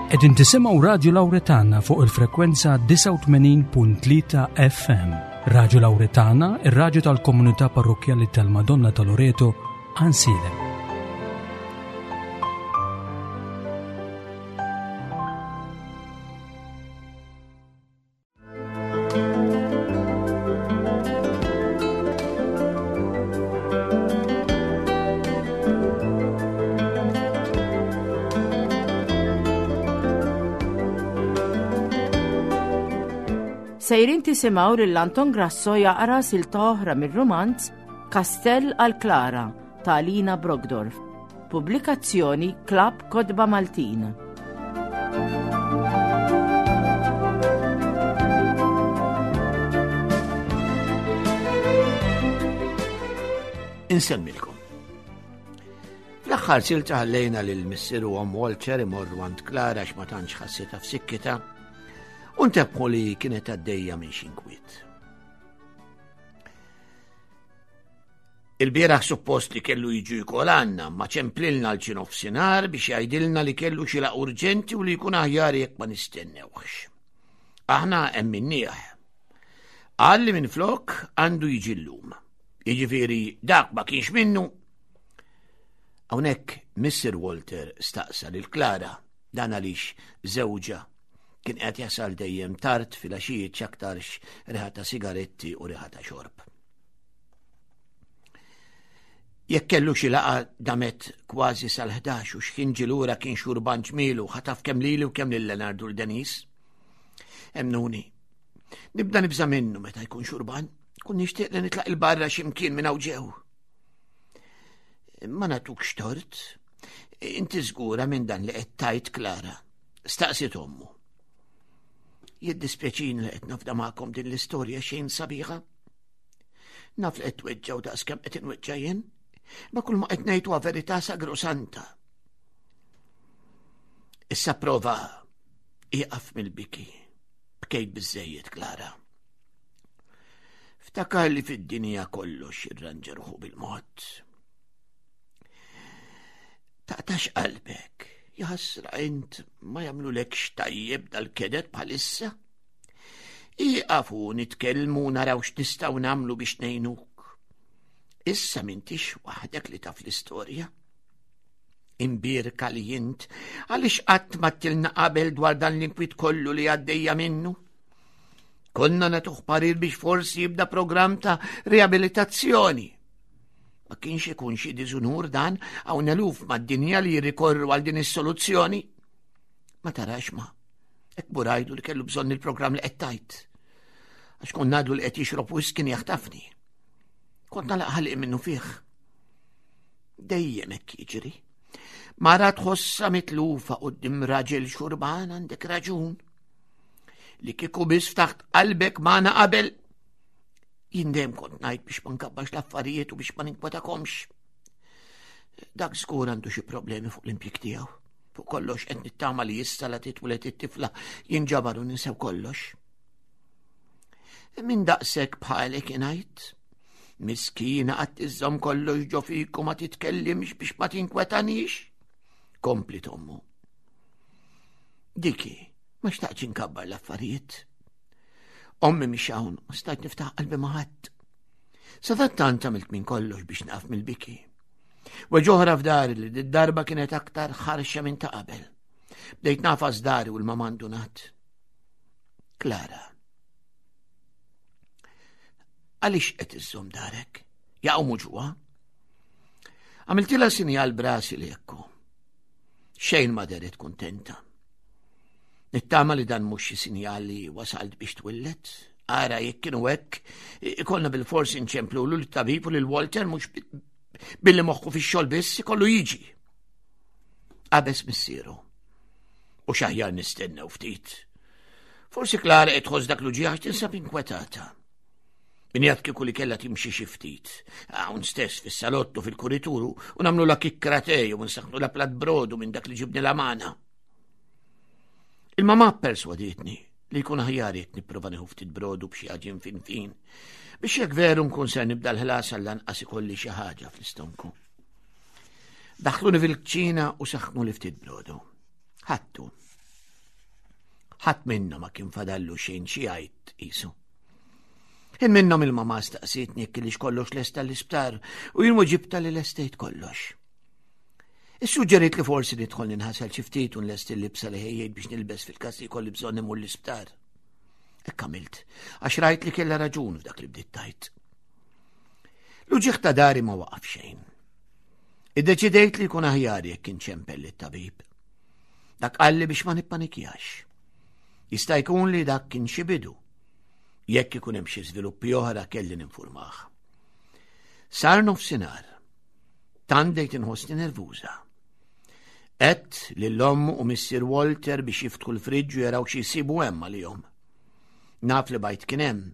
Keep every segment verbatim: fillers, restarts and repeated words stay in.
Qegħdin tisimgħu Radju Lawretana fuq il-frekwenza disgħa u tmenin punt tlieta F M. Radju Lawretana, ir-radju tal-komunità parrokkjali tal-Madonna ta' Loreto, Għajnsielem. Sejrin tisimgħu lil Anton Grasso jaqra silta oħra mir-rumanz Kastell għal Klara ta' Alina Brockdorff. Pubblikazzjoni Klabb Kotba Maltin. Insemmilkom. Fl-aħħar silta ħallejna lil missier u omm Walter imorru għand Klara għax ma tantx ħassitha f'sikkitha. U ntebħu li kienet għaddejja minn xi nkwiet. Il-bieraħ suppost li kellu jiġu jkol għandna, ma ċemplilna l xi nofsinhar biex jgħidilna li kellu xi laqgħa urġenti u li jkun aħjar jekk ma nistennewx. Aħna emminnieh. Qal li minflok għandu jiġi llum. Jiġifieri dak ma kienx minnu. Hawnhekk Missier Walter staqsa lil Klara dan għaliex żewġha kien qed jasal dejjem tard filgħaxijiet x'aktarx riħa ta' sigaretti u riħa ta' xorb. Jekk kellu xi laqgħa damet kważi sal-ħdax u x'ħin ġie lura kien xurban ġmielu, ħataf kemm lili u kemm lil Leonardo u Denise. Emnuni, nibda nibża' minnu meta jkun xurban, kun nixtieq li nitlaq il-barra xi mkien minn hawn ġew. Ma nagħtukx tort, inti żgura minn dan li qed tgħid Klara, staqsiet ommu. Jiddispjaċini li qed nafda magħkom din l-istorja xejn sabiħa. Naf li qed tweġġgħu daqskemm qed inweġġa' jien, ma kull ma qed ngħid huwa verità sagrosanta. Issa prova ieqaf mill-biki. Bkejt biżżejjed, Klara. Ftakar li fid-dinja kollox irranġa ruħu bil-mod. Taqtax qalbek. Jaħasra int ma jagħmlulekx tajjeb dal-kedet bħalissa. Ieqafu nitkellmu naraw x'nistgħu nagħmlu biex ngħinuk. Issa m'intix waħdek li taf l-istorja. Imbierka li int għaliex qatt ma tilna qabel dwar dan l-inkwiet kollu li għaddejja minnu. Konna nagħtuh parir biex forsi jibda programm ta' riabilitazzjoni. Ma kienx ikun xi diżunur dan hawn eluf mad-dinja li jirrikorru għal din is-soluzzjoni. Ma tarax ma, hekk burajdu li kellu bżonn il-programm li qed tgħid. Għax kont ngħidlu li qed jixrob wisq kien jaħtafni. Kont nagħlaq ħalqi minnu fih. Dejjem hekk jiġri. Mara tħossha mitlufa quddiem raġel xurban għandek raġun. Li kieku biss ftaħt qalbek magħna qabel. Jien dejjem kont ngħid biex ma nkabbax l-affarijiet u biex ma ninkwetakomx. Dak żgur għandu xi problemi fuq l-impjieg tiegħu. Fuq kollox qed nittama li issa la titwieled it-tifla jinġabar u ninsew kollox. Min daqshekk bħalek ingħid? Miskina qatt iżżomm kollox ġo fik u ma titkellimx biex ma tinkwetanix. Kompli tommu. Diki, ma xtaqtx inkabbar l-affarijiet. Ommi mhix hawn, ma stajt niftaħ qalbi ma' ħadd. Sadattant għamilt minn kollox biex naqaf mill-biki. Weġoħra f'dari li d-darba kienet aktar ħarxa minn ta' qabel. Bdejt nafas dari u l-mama ndunat. Klara. Għaliex qed iżżomm darek? Jaqgħu muġugħa? Għamiltilha sinjal brasi li jekku. Xejn ma deret kuntenta. Nittama li dan mhux xi sinjal li wasalt biex twillet. Ara jekk kienu hekk, ikollna bil-forsi nċemplu lil tabib u lil Walter mhux bi-, billi moħħu fix-xogħol biss ikollu jiġi. Qabeż missieru. U x'aħjar nistennew ftit. Forsi Klara qed tħoss dak l-uġigħ għax tinsab inkwetata. Min jaf kieku li kellha timxi xi ftit. Hawn stess fis-salottu fil-kurituru u nagħmlu la kikkratej u nsaħħnu la plat brodu minn dak li ġibni la magħna. Il-mamà perswadietni li jkun aħjar jekk nipprova nieħu ftit brodu b'xi għaġin fin fin biex jekk veru nkun ser nibda l-ħlas għall-anqas ikolli xi ħaġa fl-istonku. Daħluni fil-kċina u saħħnu li ftit brodu. Ħattu. Ħadd minna ma kien fadallu xejn xi jgħid qisu. Ħin minnhom il-mama staqsietni jekk kellix kollox lesta l-isptar u jien weġibtha li lestejt kollox. Issuġġerit li forsi nidħol ninħasel xi ftit u nlesti l-libsa li ħejjejt biex nilbes fil-każ li jkolli bżonn imur l-isptar. Hekk għamilt, għax rajt li kellha raġun f'dak li bdiet tgħid. L-uġigħ ta' dari ma waqaf xejn. Iddeċidejt li jkun aħjar jekk inċempel lit-tabib. Dak qalli biex ma nippanikjax. Jista' jkun li dak kien xi bidu. Jekk ikun hemm xi żviluppi oħra kelli ninfurmah. Sar nofsinhar. Tant bdejt inħossni nervuża. Għedt lil ommu u missier Walter biex jiftħu l-friġġ u jaraw xi jsibu hemm għalihom. Naf li bajd kien hemm.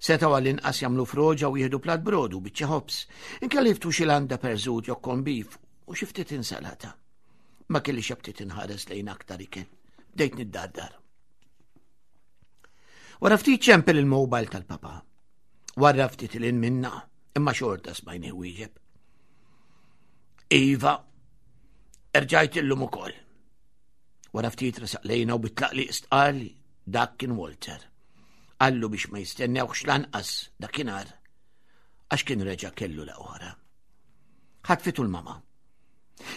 Setgħu għall-inqas jagħmlu froġa u jieħdu plat brodu biċċa ħobż. Inkella jiftħu xi landa perżut jew corned beef u xi ftit insalata. Ma kellix aptit inħares lejn aktar ikel. Bdejt niddardar. Wara ftit ċempel il-mobile tal-papa. Wara ftit 'il minna, imma xorta smajni wieġeb. Iva, erġajt illum ukoll. Wara ftit resaq lejna u bit-tlaqliq stqarr li dak kien Walter. Qallu biex ma jistennewx lanqas dakinhar għax kien reġa' kellu la oħra. Ħatfitu l-mama.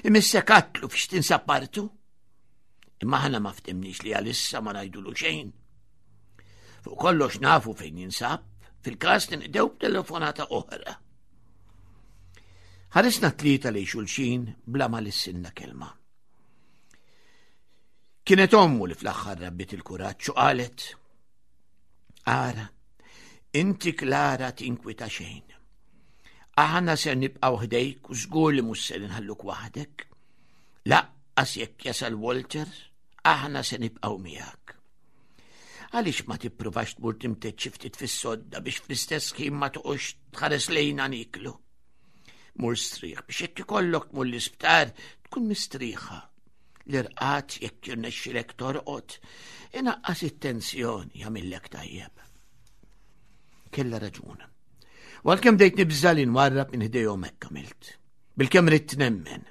Imissek għedtlu fiex tinsab martu. Imma aħna ma ftemniex li għalissa ma ngħidulu xejn. Fuq kollox nafu fejn jinsab, fil-każ ninqdew b'telefonata oħra. Ħarisna tlieta lejn xulxin bla ma lissinna kelma. Kienet ommu li fl-aħħar rabbiet il-kuraġġ u qalet: Ara, inti Klara tinkwita xejn. Aħna ser nibqgħu ħdejk u żgur li mhux ser inħalluk waħdek. Lanqas jekk jasal Walter, aħna se nibqgħu miegħek. Għaliex ma tippruvax tmur timtedd xi ftit fis-sodda biex fl-istess ħin ma toqgħodx tħares lejna niklu. Mur strieħ biex jekk ikollok tmur l-isptar tkun mistrieħa. L-irqad jekk jirnexxilek torqod, inaqqas it-tensjoni jagħmillek tajjeb. Kella raġun. U għalkemm bdejt nibża' li nwarrab minn ħdejhom hekk għamilt. Bilkemm ridt nemmen.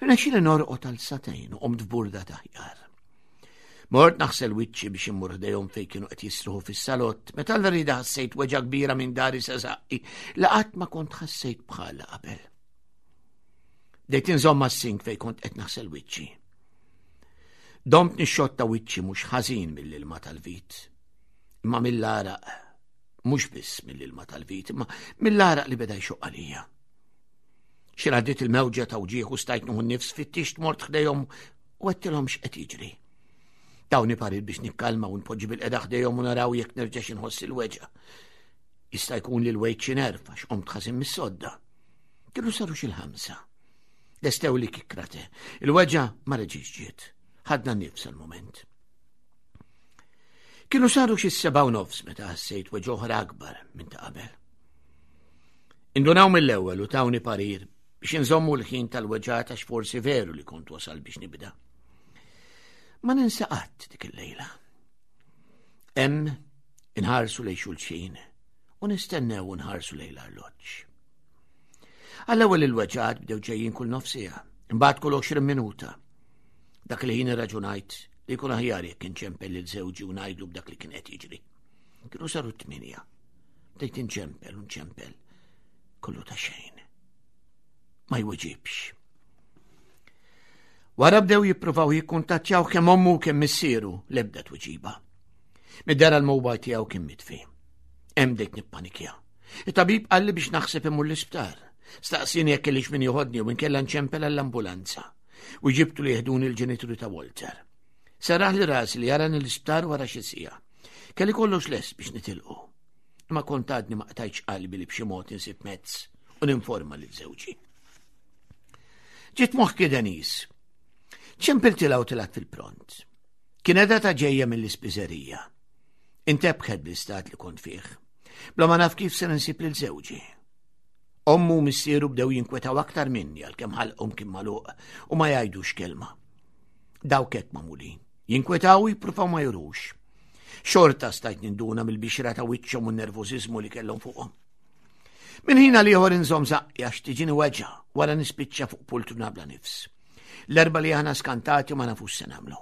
Irnexxieli norqod għal sagħtejn u qomt f'burda t'aħjar. Mort naħsel wiċċi biex immur ħdejhom fejn kienu qed jisruħu fis-salott, meta l-rida ħassejt weġgħa kbira minn dari sa żaqqi li qatt ma kont ħassejt bħala qabel. Bdejt inżomm mas-sink fejn kont qed naħsel wiċċi. Domt nixxotta wiċċi mhux ħażin mill-ilma tal-vit, imma mill-għaraq, mhux biss mill-ilma tal-vit, imma mill-għaraq li beda jxoqq għalija. Xi għaddiet il-mewġa ta' wġigħ u stajt nieħu nnifs fittixt mort ħdejhom u għedtilhom x'qed jiġri. Tawni parir biex nikkalma u npoġġi bilqiegħda ħdejhom u naraw jekk nerġax inħoss il-weġgħa. Jista' jkun li l-wejt xi nerv għax qomt ħażin mis-sodda. Kienu saru xi l-ħamsa. Lestewli kikkra te. Il-weġgħa ma reġgħetx ġiet. Ħadna nifs għal-moment. Kienu saru xi sebgħa u nofs meta ħassejt weġgħa oħra akbar minn ta' qabel. Indunaw mill-ewwel u tawni parir biex inżommu l-ħin tal-weġgħat għax forsi veru li kont wasal biex nibda. Ma ninsa qatt dik il-lejla. Hemm inħarsu lejn xulxin u nistennew u nħarsu lejn l-arloġġ. Għall-ewwel il-weġgħat bdew ġejjin kull nofs siegħa, imbagħad kull għoxrin minuta. Dak li ħin irraġunajt li jkun aħjar jekk inċempel lil żewġi u ngħidlu b'dak li kien qed jiġri. Kienu saru t-tminja. Bdejt inċempel u nċempel. Kollu ta' xejn. Ma jweġibx. Wara bdew jippruvaw jikkuntattjaw kemm ommu kemm missieru l-ebda tweġiba. Mid-dehra l-mobile tiegħu kien mitfi. Hemm bdejt nippanikja. Il-tabib qalli biex naħseb imur l-isptar. Staqsini jekk kellix min joħodni u inkella nċempel għall-ambulanza. U ġibtu li jeħduni l-ġenituri ta' Walter. Serraħli rasi li jarani l-isptar wara xi siegħa. Kelli kollox lest biex nitilqu. Ma kont għadni ma qtajtx qalbi li b'xi mod insib mezz u ninforma lil żewġi. Ġiet moħħi Denise. Ċempiltilha u telgħet fil-pront. Kien ta' ġejja mill-ispiżerija. Intebħet bl-istat li kont fih. Bla ma naf kif se nsib lil żewġi. Ommu u missieru bdew jinkwetaw aktar minni għalkemm ħalqhom kien magħluq u ma jgħidux kelma. Dawk hekk magħmulin. Jinkwetaw u jippruvaw ma jurux. Xorta stajt ninduna mill-bixra ta' wiċċhom u n-nervożiżmu li kellhom fuqhom. Minn ħin għal ieħor inżomm żaqqi għax tiġini weġgħa wara nispiċċa fuq pultruna bla nifs. L-erbgħa li aħna skantati u ma nafux se nagħmlu.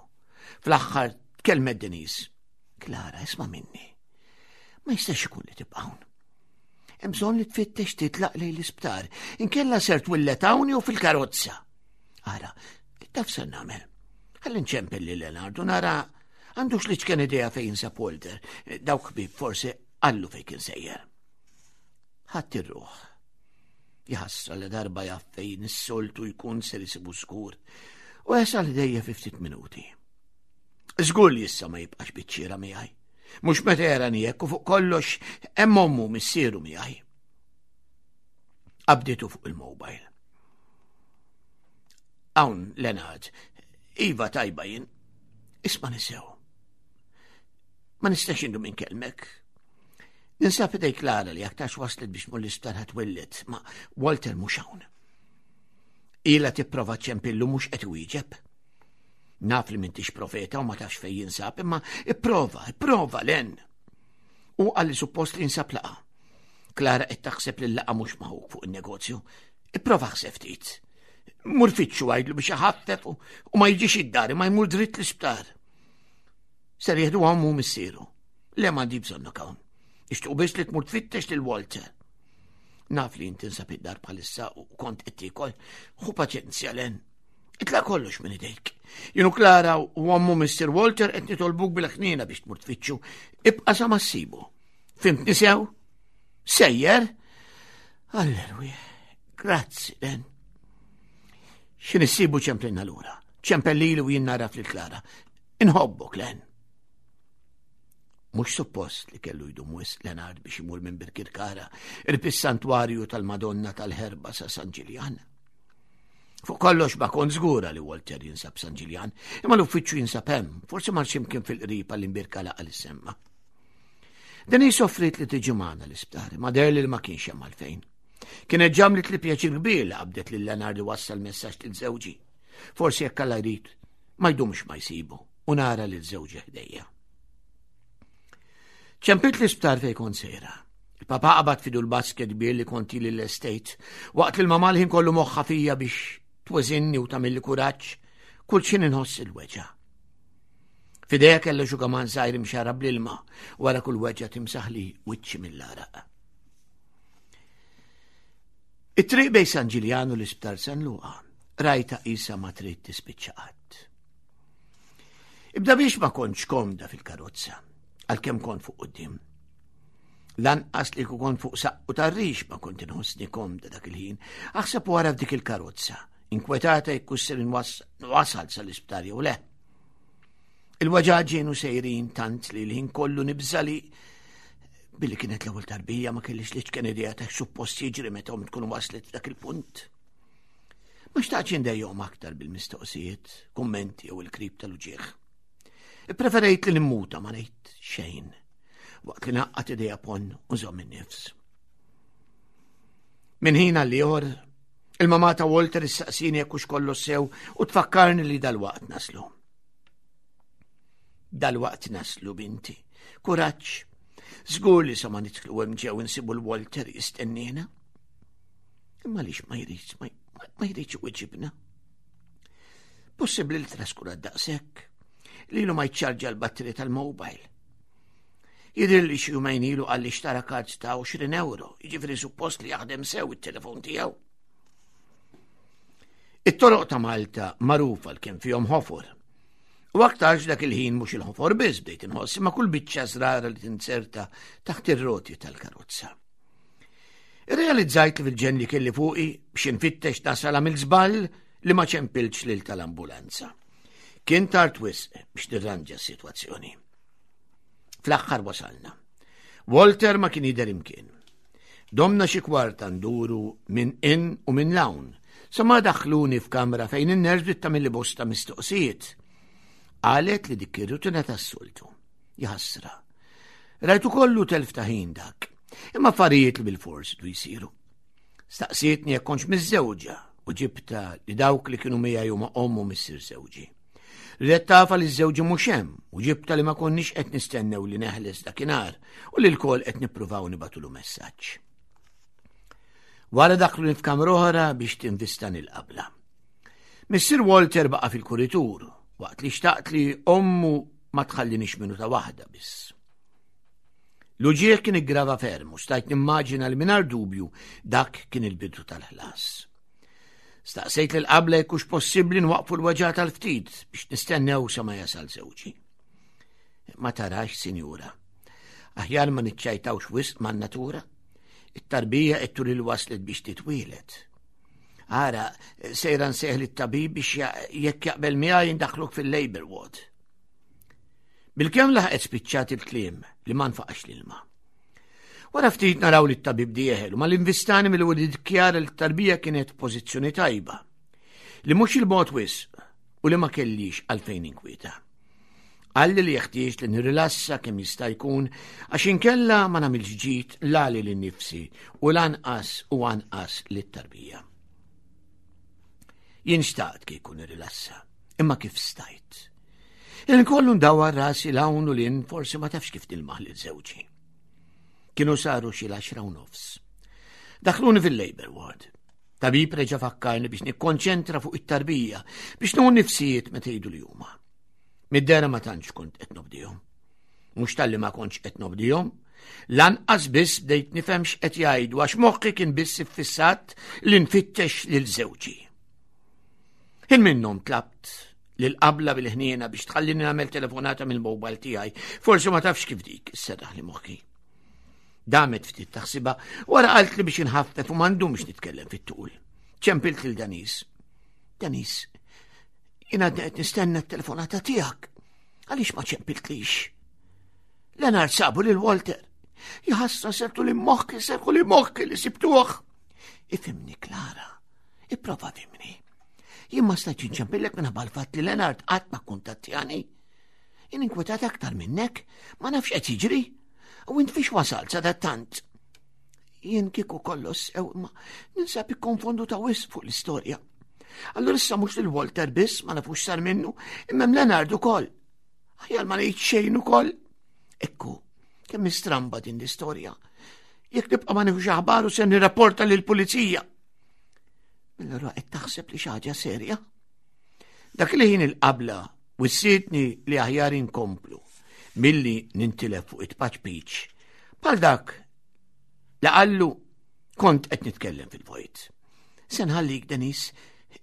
Fl-aħħar Tkellmet Denise. Klara, isma' minni. Ma jistax ikun li tibqa' hawn. Hemm bżonn li tfittex titlaq lejn l-isptar. Inkella ser twillet hawn jew fil-karozza. Ara, taf ser nagħmel. Ħalli nċempel lil Leonardo nara għandux l-iċken idea fejn sab Walter. Dawk ħbieb forsi qallu fejn kien sejjer. Ħadd ir-ruħ. Jaħasra li darba jaf fejn is-soltu jkun ser isibu skur. U jasal ħdejja fi ftit minuti. Żgur li issa ma jibqax biċċiera miegħi. Mhux meta jarani hekk u fuq kollox hemm ommu missieru miegħi. Qabditu fuq il-mobile. Hawn Leonard, iva tajba jien, isma' nisew. Ma nistax indum inkellmek. Ninsab idej Klara li aktarx waslet biex tmur l-isptar ħa twelled, ma Walter mhux hawn. Ila tipprova ċempillu mhux qed iwieġeb. Naf li m'intix profeta u ma tafx fejn jinsab, imma ipprova, ipprova Len. U qalli suppost li jinsab laqgħa. Klara qed taħseb li l-laqgħa mhux ma' ħuk fuq in-negozju. Ipprova ħseb ftit. Mur fittxu għidlu biex iħaffef u ma jiġix id-dar, ma jmur dritt l-isptar. Ser jieħdu ommu missieru. Le m'għandi bżonnok hawn. Ixtuq biss li tmur tfittex lil Walter. Naf li inti tinsab id-dar bħalissa u kont qed tiekol. Ħu paċenzja Len. Itlaq kollox minn idejk. Jien u Klara u ommu Mister Walter qed nitolbuk bil-ħniena biex tmur tfittxu. Ibqa' sa ma ssibu. Fhimtni sew? Sejjer? Alleluja. Grazzi, Len. X'ħin issibu ċemplilna lura. Ċempel lili u jien naraf lil Klara. Inħobbok, Len. Mhux suppost li kellu jdum wisq Leonard biex imur minn Birkirkara, qrib is-santwarju tal-Madonna tal-Ħerba sa San Ġiljan. Fuq kollox ma kont żgura li Walter jinsab San Ġiljan, imma l-uffiċċju jinsab hemm, forsi mar x'imkien fil-qrib għall-imbierka laqgħa li semma. Denise offriet li tiġi magħna l-isptar, ma deher li ma kienx hemm għalfejn. Kienet għamlet li pjaċir kbir li qabdet lil Leonard wassal messaġġ lil żewġi. Forsi jekk Alla jrid, ma jdumx ma jsibu u nara lil żewġi ħdejja. Ċempilt l-isptar fej kont sejra. Il-papa qabad f'idu l-basket kbir li kont ili l-estate, waqt li l-mama l-ħin kollu moħħa fija biex tweżinni u tagħmilli kuraġġ, kull x'ħin inħoss il-weġgħa. F'idejha kellha xugaman żgħir imxarrab bl-ilma, wara kull weġgħa timsaħli wiċċi mill-għaraq. It-triq bejn San Ġiljan u l-isptar San Luqa, rajta qisha ma trid tispiċċa qatt. Ibda biex ma kontx komda fil-karozza, għalkemm kont fuq quddiem. Lanqas li kont fuq saqqu tar-rix ma kont inħossni komda dak il-ħin, aħseb wara f'dik il-karozza, inkwetata jekk ser nwasal sal-isptar jew le. Il-weġgħat kienu sejrin tant li l-ħin kollu nibża' li billi kienet l-ewwel tarbija ma kellix l-iċken idea ta' suppost jiġri meta tkun waslet f'dak il-punt. Ma xtaqtx indejjaqhom aktar bil-mistoqsijiet, kummenti jew il-krib tal-uġigħ. Ippreferejt li nimmuta ma ngħid xejn, waqt li ngħaqqad idejja ponn u nżomm in-nifs. Minn ħin għal ieħor, il-mama ta' Walter issaqsini jekk hux kollox sew u tfakkarni li dal-waqt naslu. Dal-waqt naslu, binti. Kuraġġ. Żgur li sa ma nidħlu hemm ġew insibu l-Walter jistennina. Imma lix ma jridx, ma jridx iweġibna. Possibbli li traskura daqshekk li ilu ma jċarġa l-batteri tal-mobile. Jidher li xi jumejn ilu qalli xtara kard ta' għoxrin euro, jiġifieri suppost li jaħdem sew it-telefon tiegħu. It-toroq ta' Malta magħrufa l kemm fihom ħofor. U aktarx dak il-ħin mhux il-ħofor biss bdejt inħoss, imma kull biċċa żrara li tinzerta taħt ir-roti tal-karozza. Irrealizzajt li fil-ġenn li kelli fuqi biex infittex nasal għamilt żball li ma ċempiltx lil tal-ambulanza. Kien tard wisq biex nirranġa s-sitwazzjoni. Fl-aħħar wasalna. Walter ma kien jidher imkien. Domna xi kwarta nduru minn in u minn lawn, sa ma daħluni f'kamra fejn in-nurse bdiet tagħmilli bosta mistoqsijiet. Qalet li dik ir-rutina tas-soltu. Jaħasra. Rajtu kollu telf ta' ħin dak. Imma affarijiet li bil-fors du jsiru. Staqsietni jekk kontx miżżewġa u ġibta li dawk li kienu miegħi huma ommu missier żewġi. Ridet taf li żewġi mhux hemm u ġibta li ma konniex qed nistennew li neħles dakinhar u li lkoll qed nippruvaw nibagħtulu messaġġ. Wara daħlu f'kamra oħra biex tinvistani l-qabla. Missier Walter baqa' fil-kuritur waqt li xtaqt li ommu ma tħallinix minuta waħda biss. L-uġigħ kien iggrava ferm u stajt nimmaġina li mingħajr dubju dak kien il-bidu tal-ħlas. Staqsejt lil qabla jekk hux possibbli nwaqfu l-weġgħa tal-ftit biex nistennew sa ma jasal żewġi. Ma tarax, sinjura, aħjar ma niċċajtawx wisq man-natura. It-tarbija qed turi li waslet biex titwielet. Ara, sejra nsejħ lit-tabib biex jekk jaqbel miegħi jindaħluk fil-labor ward. Bilkemm laħqet spiċċat il-kliem li ma nfaqax l-ilma. Wara ftit naraw li t-tabib dieħel u mal-invistani mill-ewwel iddikjara li t-tarbija kienet f'pożizzjoni tajba, li mhux il-bogħod wisq u li ma kellix għalfejn inkwieta. Qalli li jeħtieġ li nirrilassa kemm jista' jkun għax inkella ma nagħmilx ġid la lili nnifsi u lanqas u anqas lit-tarbija. Jien xtaqt kieku nirrilassa, imma kif stajt? Il-kollu ndawar rasi l-hawn u lin forsi ma tafx kif nilmaħ lil żewġi. Kienu saru xi l-għaxra u nofs. Daħluni fil-labor ward. Tabib reġa' fakkarni biex nikkonċentra fuq it-tarbija biex nieħu nifsijiet meta jgħidu li huma. Mid-dehra ma tantx kont qed nobdihom. Mhux talli ma kontx qed nobdihom, lanqas biss bdejt nifhem x'qed jgħidu għax moħħi kien biss iffissat li nfittex lil żewġi. Ħin minnhom tlabt lil qabla bil-ħniena biex tħallini nagħmel telefonata mill-mobile tiegħi. Forsi ma tafx kif dik isserraħ li moħħi. Damet ftit taħsiba wara qalt li biex inħaffef u m'għandhomx nitkellem fit-tul. Ċempilt lil Danis. Danis, jien għadni qed nistenna t-telefonata tiegħek. Għaliex ma ċempiltlix? Leonard sabu lil Walter. Jaħasra sertu li moħħi, serku li moħħi li sibtuh. Ifhimni, Klara, ipprova fhimni. Jien ma stajtx inċempillek minħabba l-fatt li Leonard qatt ma kuntattjani. Jien inkwetat aktar minnek, ma nafx qed jiġri. U int fiex wasalt sadattant? Jien kieku kollox sew imma ninsab ikkonfonduta wisq fuq l-istorja. Allura issa mhux lil Walter biss ma nafux sar minnu, imma Leonard ukoll. Aħjar ma ngħid xejn ukoll. Ekku, kemm istramba din l-istorja. Jekk nibqa' ma nifux aħbaru se nirrapporta lill-pulizija. Allura qed taħseb li xi ħaġa serja? Dak li ħin il-qabla wissietni li aħjar inkomplu milli nintilef fuq it-paċ piċ. Bħal dak li qallu kont qed nitkellem fil-vojt. Se nħallik, Denis,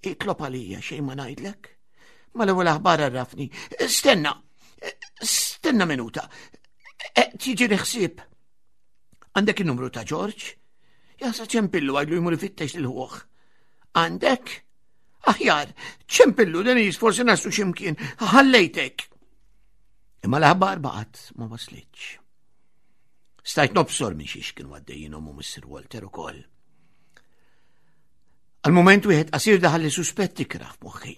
itlob għalija xejn ma ngħidlek. Mal-ewwel aħbar għarrafni. Stenna, stenna minuta. Tiġi ħsieb. Għandek il-numru ta' George? Jasa ċempillu għidlu jmur ifittex lil ħuh. Għandek? Aħjar, ċempillu, Denis, forsi naslu ximkien, ħallejtek. Imma l-aħbar baqgħet ma waslitx. Stajt nobsor minn xiex kienu għaddejjin u Mister Walter ukoll. Għal-moment wieħed qasir daħal li suspetti ikrah f'moħħi.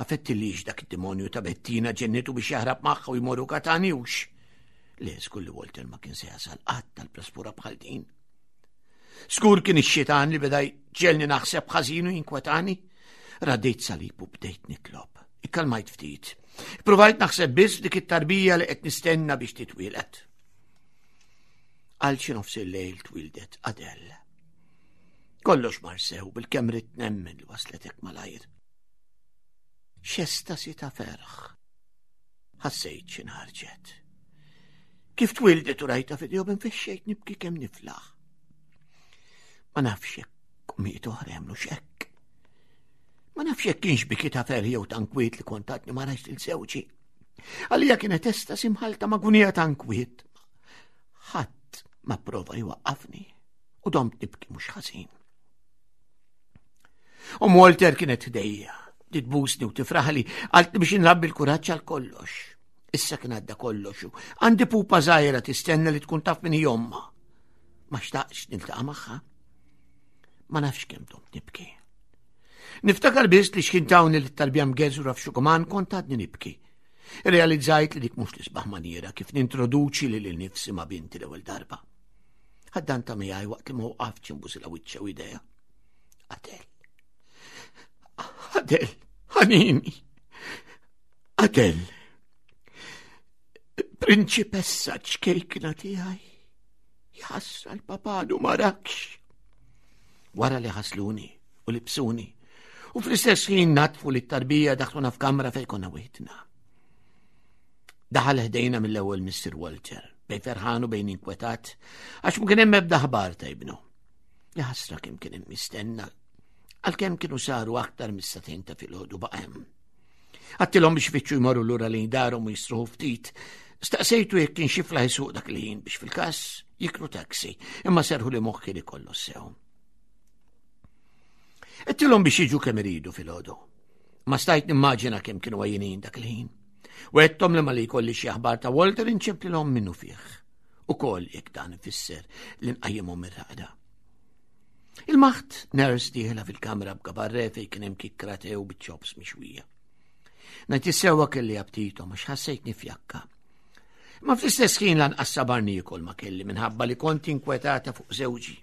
Ma fettilix dak id-demonju ta' Bettina ġennitu biex jaħrab magħha u jmorru Katanjux. Le, żgur li Walter ma kien se jasal qatt tal-praspura bħal din. Skur kien ix-xitan li beda jġegħelni naħseb ħażin u jinkwetani. Raddejt salib u bdejt nitlob. Ikkalmajt ftit. Provajt naħseb biss dik it-tarbija li qed nistenna biex titwielet. Għal xi nofs il-lejl twildet Adele. Kollox mar sew bil-kemm ridt nemmen li waslet hekk malajr. X'estasi ta' ferħ. Ħassejt xi nħarġet. Kif twildet u rajta fidejhom infexxejt nibki kemm niflaħ. Ma nafx jekk ommijiet oħra jagħmlu x'hekk. Ma nafx jekk kienx biki ta' ferħ jew ta' nkwiet li kont għadni ma rajtx lil żewġi. Għalija kienet estasi mħallta ma' gunija ta' nkwiet. Ħadd ma prova jwaqqafni u domt nibki mhux ħażin. U Walter kienet ħdejja, titbusni u tifraħli, għalt biex nrabbi l-kuraġġ għal kollox. Issa kien għadda kollox u għandi pupa żgħira tistenna li tkun taf min hi ommha. Ma xtaqx niltaqa' magħha. Ma nafx kemm domt nibki. Niftakar biss li x'kien tawni li t-tarbija mgeżura f'xukuman kont għadni nibki. Realizzajt li dik mhux l-isbaħ maniera kif nintroduċi lil nifsi ma' binti l-ewwel darba. Ħaddanta miegħi waqt li ma waqaftx inbusilha wiċċha u idejha. Adel. Adel, ħanini. Adel. Prinċipessa ċkejkna tiegħi. Jaħasra l-papadu ma rakx. Wara li ħasluni u libsuni u fl-istess ħin natfu li t-tarbija daħluna f'kamra fejn konna weħidna. Daħal ħdejna mill-ewwel Mister Walter, bejn ferħan u bejn inkwetat, għax ma kien hemm ebda ħbar ta' ibnu. Jaħasra kemm kien hemm mistenna, għalkemm kienu saru aktar mis-sagħtejn ta' filgħodu baqa' hemm. Għattilhom biex fittxu jmorru lura lejn darhom u jisruħu ftit. Staqsejtu jekk kien xi flaħ isuq dak il-ħin biex fil-każ jikru taxi, imma serħu li moħħi li kollu sew. Għedtilhom biex jiġu kemm iridu filgħodu. Ma stajt nimmaġina kemm kienu għajjinin dak il-ħin. Wegħedthom li malli jkolli xi aħbar ta' Walter inċemplilhom minnufih. Ukoll jekk dan ifisser li nqajjimhom mir-raqda. Ilmaħt nurse dieħla fil-kamra b'gabarre fejn kien hemm kikkra te u biċ-chops mixwija. Ngħid is-sewwa kelli aptitom għax ħassejtni fjakka. Ma fl-istess ħin lanqas sabar niekol ma kelli minħabba li kont inkwetata fuq żewġi.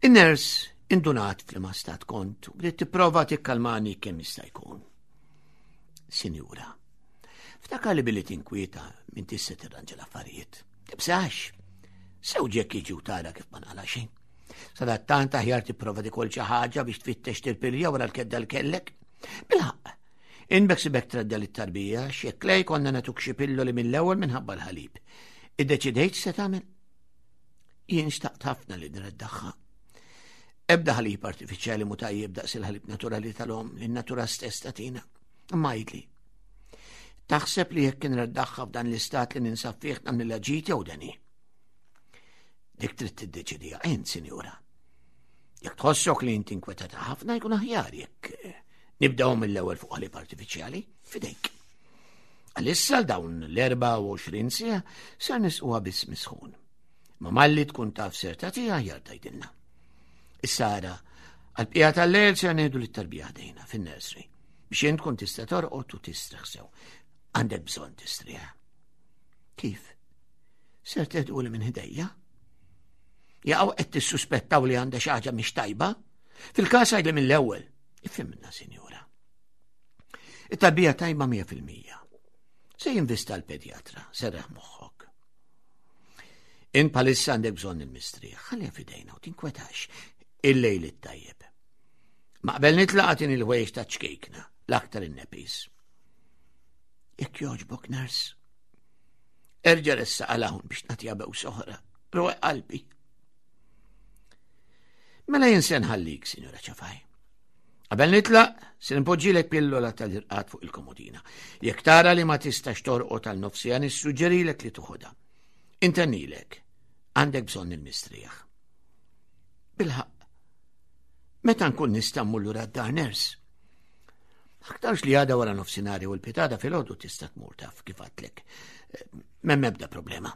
In-nurse indunat f'liema stat kont u bdiet tipprova tikkalmani kemm jista' jkun. Sinjura, ftakar li billi tinkwieta minn tista' tirranġa l-affarijiet. Tibżax. Żewġek jiġi u tara kif ma nqala xejn. Sadattant aħjar tipprova tikol xi ħaġa biex tfittex tirpilja wara l-kedda l kellek. Bilħaqq, inbek sibek tredda lit-tarbija x'jekk lej konna nagħtuk xi pilloli mill-ewwel minħabba l-ħalib. Iddeċidejt se tagħmel? Jien xtaqt ħafna li nreddaħħa. Ebda ħalib artifiċjali mu tajjeb daqs il-ħalib naturali tal-om li n-natura stess tagħtina. Imma għidli. Taħseb li jekk nreddaħħa f'dan l-istat li ninsab fih nagħmlilha ġid jew deni? Dik trid tiddeċidija int, sinjura. Jekk tħossok li inti inkwetata ħafna jkun aħjar jekk nibdew mill-ewwel fuq ħalib artifiċjali f'idejk. Għalissa l dawn l-erbgħa u għoxrin siegħa ser nisquha biss misħun. Ma malli tkun taf ser tagħtiha aħjar tgħidilna. Issa ara, għall-bqija tal-lejl ser ngħidu lit-tarbija ħdejna fin-nursery biex int tkun tista' torqod u tistrieħ sew. Għandek bżonn tistrieħ. Kif? Ser teħduli minn ħdejja? Jaqgħu qed tissuspettaw li għandha xi ħaġa mhix tajba? Fil-każ għidli mill-ewwel. Ifhimna, sinjura. It-tarbija tajba mija fil-mija. Se jinvista l-pedjatra, serraħ moħħok. In palissa għandek bżonn il-mistrieħ, ħalliha f'idejna u tinkwetax. Il-lejl it-tajjeb. Ma qabel nitlaq agħtini l-ħwejjeġ ta' ċkejkna, l-aktar in-nepis. Jekk jogħġbok, nurse. Erġa' ressaq għal hawn biex nagħtiha bews oħra. Ruq qalbi. Mela jien se nħallik, Sinjura Ċafaj. Qabel nitlaq, se npoġġilek pillola tal-irqad fuq il-komodina. Jekk tara li ma tistax torqod tal-nofsija, nissuġġerilek li tuħodha. Intennilek, għandek bżonn il-mistrieħ. Bilħaqq, meta nkun nista' mmur lura d-dar, nurse? Aktarx li għada wara nofsinhar u l-pitada filgħodu tista' tmur taf kif għadtlek. M'hemm ebda problema.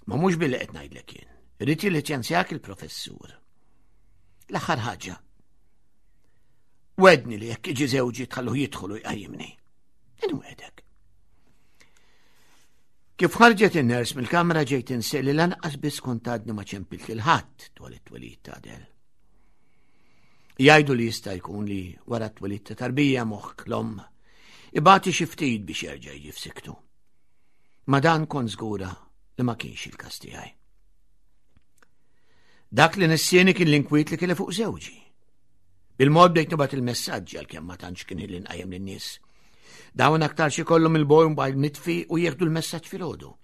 Ma mhux billi qed ngħidlek jien. Irid jilliċenzjak il-professur. L-aħħar ħaġa. Wedni li jekk iġi żewġi tħalluh jidħol u jqajjimni. Inwedek. Kif ħarġet in-nurse mill-kamra ġejt insi li lanqas biss kont għadni ma ċempilt lil ħadd dwar it-twelid ta' Adel. Jgħidu li jista' jkun li wara t-twelid ta' tarbija moħħ l-omm ibati xi ftit biex jerġa' jiġi f'siktu. Ma dan kont żgura li ma kienx il-każ tiegħi. Dak li nissieni kien l-inkwiet li kelli fuq żewġi. Bil-mod bdejt nibgħat il-messaġġi għalkemm ma tantx kien ħin li nqajjem lin-nies. Dawn aktar xi kollhom il-mobile mitfi u jieħdu l-messaġġ filgħodu.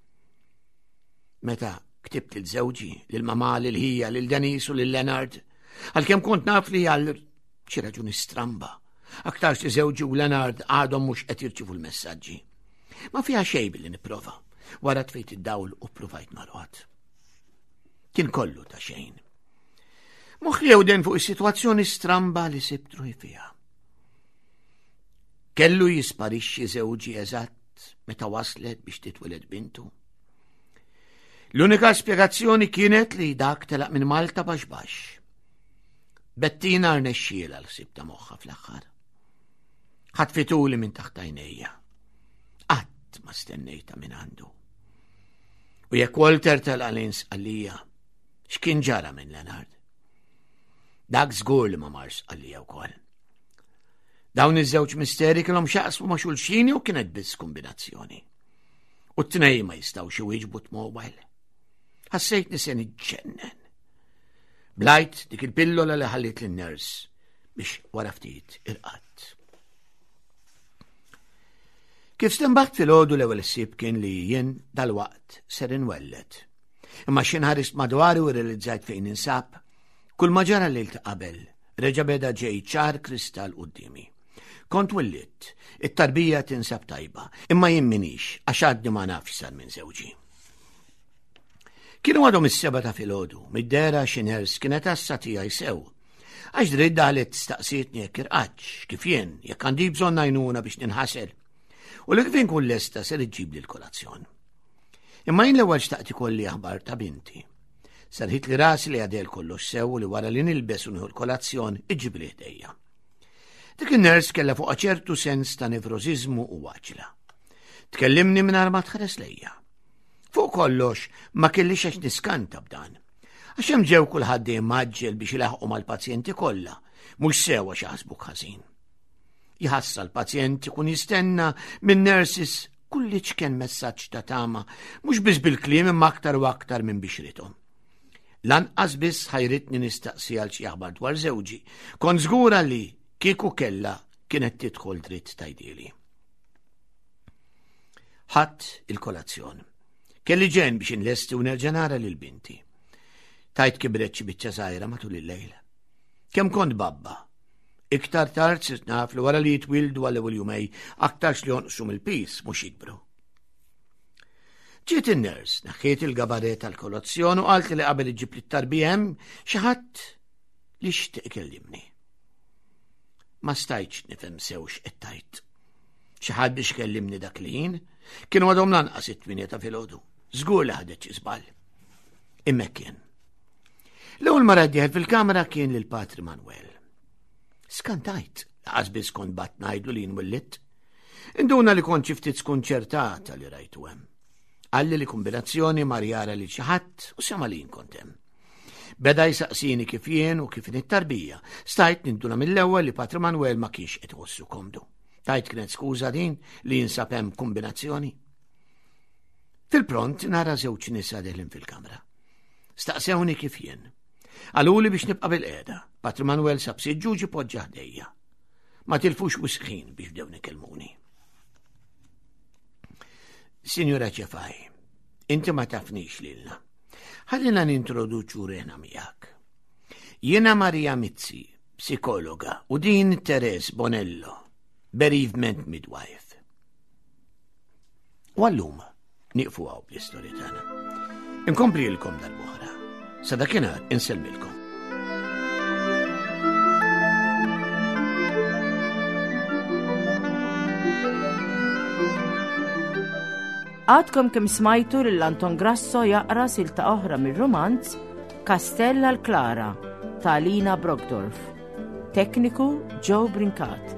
Meta ktibt lil żewġi, lil mamà, lil ħija, lil Denis u lil Leonard, għalkemm kont naf li għal xi raġuni stramba, aktarx li żewġi u Leonard għadhom mhux qed jirċievu l-messaġġi. Ma fiha xejn billi nipprova. Wara tfejt id-dawl u ppruvajt norqod. Kien kollu ta' xejn. Moħħi jewden fuq is-sitwazzjoni stramba li sibt ruħi fiha. Kellu jisparixxi żewġi eżatt meta waslet biex titweled bintu. L-unika spjegazzjoni kienet li dak telaq minn Malta baxx baxx. Bettina rnexxielha l-ħsieb ta' moħħha fl-aħħar. Ħatfituli minn taħt għajnejja. Qatt ma stennejta minn għandu. U jekk Walter telaq lejn Sqallija, x'kien ġara minn Leonard? Dak żgur li ma marx Sqallija wkoll. Dawn iż-żewġ misteri kellhom x'jaqsmu ma' xulxin u kienet biss kombinazzjoni. U t-tnejn ma jistgħux iwieġbu t-mobile. Ħassejtni se niġġennen. Blajt dik il-pillola li ħallit lin-nurse biex wara ftit irqadt. Kif stenbaħt filgħodu l-ewwel ħsieb kien li jien dalwaqt ser inwelled. Imma x'ħin ħarist madwari u realizzajt fejn ninsab, kull ma ġara lejl ta' qabel, reġa' beda ġej ċar kristall quddiemi. Kont wellidt, it-tarbija tinsab tajba, imma jien minix, għax għadni ma nafx sar minn żewġi. Kienu għadhom is-sebgħa ta' filgħodu, mid-dehra xi nurse kienet għassa tiegħi sew. Għax dritt daħlet staqsietni jekk irqadtx, kif jien, jekk għandi bżonn għajnuna biex ninħasel. U li kif inkun lesta ser iġġibli l-kolazzjon. Imma jien l-ewwel xtaqt ikolli aħbar ta' binti. Serrħitli rasi li għadel kollox sew u li wara li nilbes u nieħu l-kolazzjon iġġibli ħdejja. Dik in-nurse kellha fuqha ċertu sens ta' nevrożiżmu u għaġla. Tkellimni mingħajr ma tħares lejja. Fuq kollox ma kellix għax niskanta b'dan. Għax hemm ġew kulħadd dejjem mgħaġġel biex ilaħqu mal-pazjenti kollha, mhux sew għax jaħsbuk ħażin. Jħassa l-pazjent ikun jistenna minn nurses kull iċken messaġġ ta' tama, mhux biss bil-kliem imma aktar u aktar minn bixrithom. Lanqas biss ħajritni nistaqsi għal xi aħbar dwar żewġi. Kont żgura li kieku kella kienet tidħol dritt tgħidhieli. Ħadt il-kolazzjon. Kelli ġen biex inlesti u nerġa' nara lil binti. Tajt kibret xi biċċa żgħira matul il-lejl. Kemm kont babba. Iktar tard sirt naf li wara li jitwildu għal ewwel jumej aktarx li jonqsu mill-pis mhux jikbru. Ġiet in-nurse, neħħiet il-gabaret tal-kolazzjon u qalt li qabel iġġib li t-tarbija hemm xi ħadd li xtieq ikellimni. Ma stajtx nifhem sew x'qed tgħid. Xi ħadd biex ikellimni dak li jien, kienu għadhom lanqas it-tmienja ta' filgħodu. Żgur li ħadet xi żball. Imma kien. L-ewwel mara dieħel fil-kamra kien lil Patri Manuel. Skantajt, laqas biss kont bgħatt ngħidlu li nwellidt. Induna li kont xi ftit skonċertata li rajtu hemm. Qalli li kombinazzjoni mar jara li xi ħadd u sema li kont hemm. Beda jsaqsini kif jien u kif it-tarbija. Stajt ninduna mill-ewwel li Patri Manuel ma kienx qed iħossu komdu. Tajt kienet skuża din li jinsab hemm kombinazzjoni. Fil-pront nara żewġ nisa deħlin fil-kamra. Staqsewni kif jien. Qaluli biex nibqa' bil-qiegħda. Patri Manuel sab siġġu ġie poġġa ħdejja. Ma tilfux wisq ħin biex bdew ikellmuni. Sinjura Ċefaj, inti ma tafnix lilna. Ħallina nintroduċu ruħna miegħek. Jiena Maria Mizzi, psikologa, u din Teres Bonello, bereavement midwife. U għallum nieqfu hawn bl-istorja tagħna. Inkomplilkom darb'oħra. Sa dakinhar insellmilkom. Għadkom kemm smajtu lil Anton Grasso jaqra silta oħra mir-romanz Kastell għal Klara ta' Lina Brockdorff. Tekniku Joe Brincat.